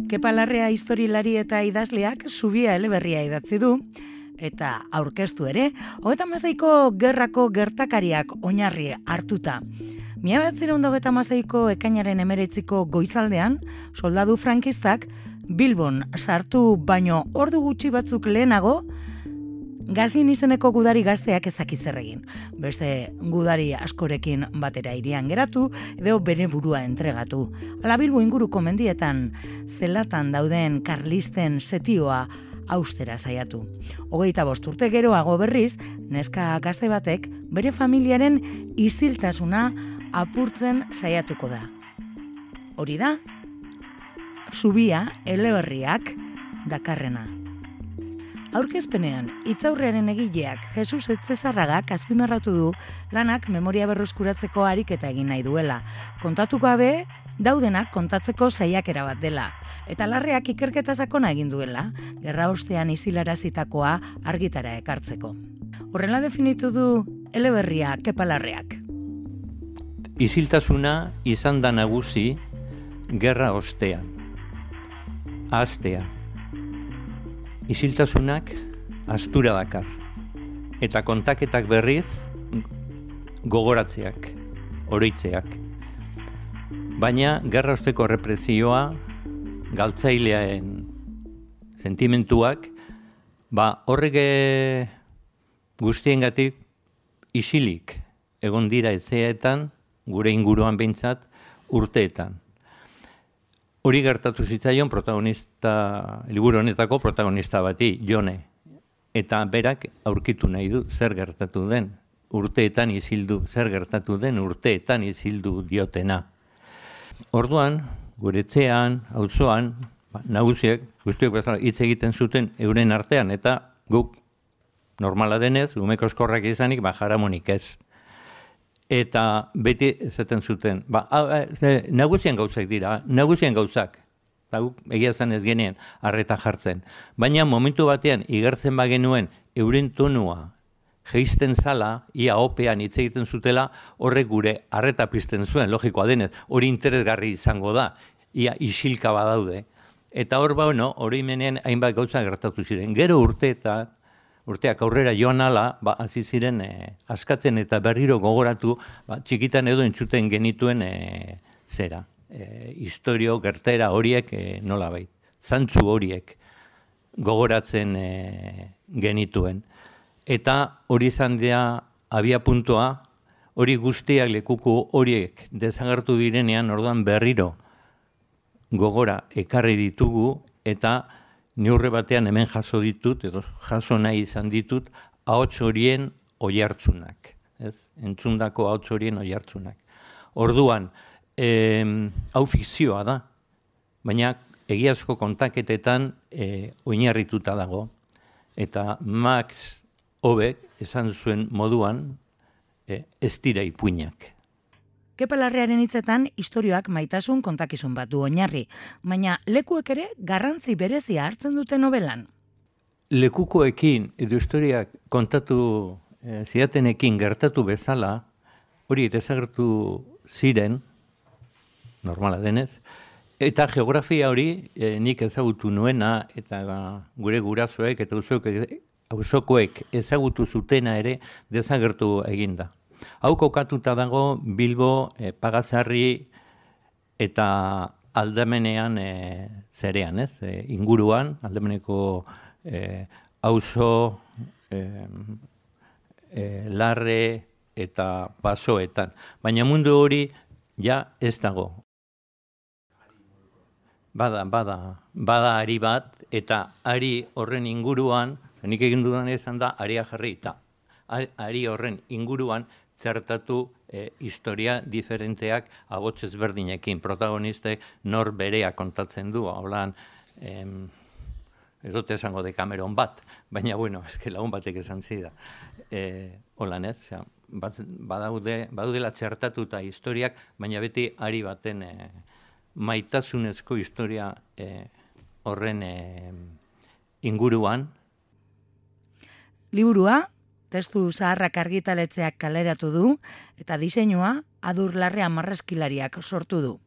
Kepa Larrea historialari eta idazleak Zubia eleberria idatzi du, eta aurkeztu ere, 36ko gerrako gertakariak oinarri hartuta. 1926ko ekainaren 19ko goizaldean, soldadu frankistak Bilbon sartu baino ordu gutxi batzuk lehenago, Gazin izeneko gudari gazteak ezakiz zer egin. Beste gudari askorekin batera hirian geratu, edo bere burua entregatu. Hala Bilbo inguruko mendietan, zelatan dauden karlisten setioa austera saiatu. 25 urte geroago berriz, neska gazte batek bere familiaren isiltasuna apurtzen saiatuko da. Hori da, Zubia eleberriak dakarrena. Aurkezpenean, hitzaurrearen egileak Jesus Etzezarragak azpimarratu du lanak memoria berreskuratzeko ariketa egin nahi duela. Kontatu gabe, daudenak kontatzeko saiakera bat dela. Eta Larreak ikerketa sakona egin duela, gerra ostean isilarazitakoa argitara ekartzeko. Horrela definitu du eleberria Kepa Larreak. Isiltasuna izan da nagusi gerra ostean. Ahaztea. Isiltasunak astura dakar, eta kontaketak berriz gogoratzeak, oroitzeak. Baina gerra osteko represioa, galtzailearen sentimentuak, horrek guztiengatik isilik egon dira etxeetan, gure inguruan behintzat, urteetan. Hori gertatu zitzaion liburu honetako protagonista bati, Jone. Eta berak aurkitu nahi du zer gertatu den, urteetan izildu, zer gertatu den urteetan izildu diotena. Orduan, gure etxean, auzoan, nagusiek, guztiok bezala hitz egiten zuten euren artean, eta guk normala denez, umeko eskorrak izanik, jaramonik ez. Eta beti esaten zuten, nagusien gauzak dira, nagusien gauzak. Egia zan ez genien, arreta jartzen. Baina momentu batean, igertzen bagenuen, euren tonua jeisten zala, ia opean hitz egiten zutela, horrek gure arreta pizten zuen, logikoa denez, hori interesgarri izango da, ia isilka badaude. Eta hor hori menean hainbat gauza gertatu ziren. Gero urteak aurrera joan ala, hasi ziren askatzen eta berriro gogoratu, txikitan edo entzuten genituen zera. Historio, gertera horiek nolabait. Zantzu horiek gogoratzen genituen. Eta hori izan dira abia puntua, hori guztiak lekuko horiek desagertu direnean, orduan berriro gogora ekarri ditugu, eta neurre batean hemen jaso ditut, edo jaso nahi izan ditut, ahots horien oihartzunak. Entzundako ahots horien oihartzunak. Orduan, hau fikzioa da, baina egiazko kontaketetan oinarrituta dago. Eta Max Hobek esan zuen moduan, ez dira ipuinak. Kepa Larrearen hitzetan istorioak maitasun kontakizun bat du oinarri, baina lekuek ere garrantzi berezia hartzen dute nobelan. Lekukoekin edo historiak kontatu zidatenekin gertatu bezala, hori desagertu ziren, normala denez, eta geografia hori nik ezagutu nuena, eta gure gurasoek eta auzokoek ezagutu zutena ere desagertu eginda. Hau kokatuta dago Bilbo, Pagazarri eta Aldamenean zerean, inguruan, Aldameneko auzo, Larre eta Basoetan. Baina mundu hori ja ez dago. Bada ari bat, eta ari horren inguruan, nik egin dudan izan da, aria jarri, eta ari horren inguruan zertatu historia diferenteak ahots ezberdinekin. Protagonistek nor berea kontatzen du, holan, ez dut esango Decameron bat, baina lagun batek esan zida. Holan ez, badaudela txertatuta historiak, baina beti ari baten maitasunezko historia horren inguruan. Liburua, testu zaharrak argitaletzeak kaleratu du, eta diseinua Adur Larrea marrazkilariak sortu du.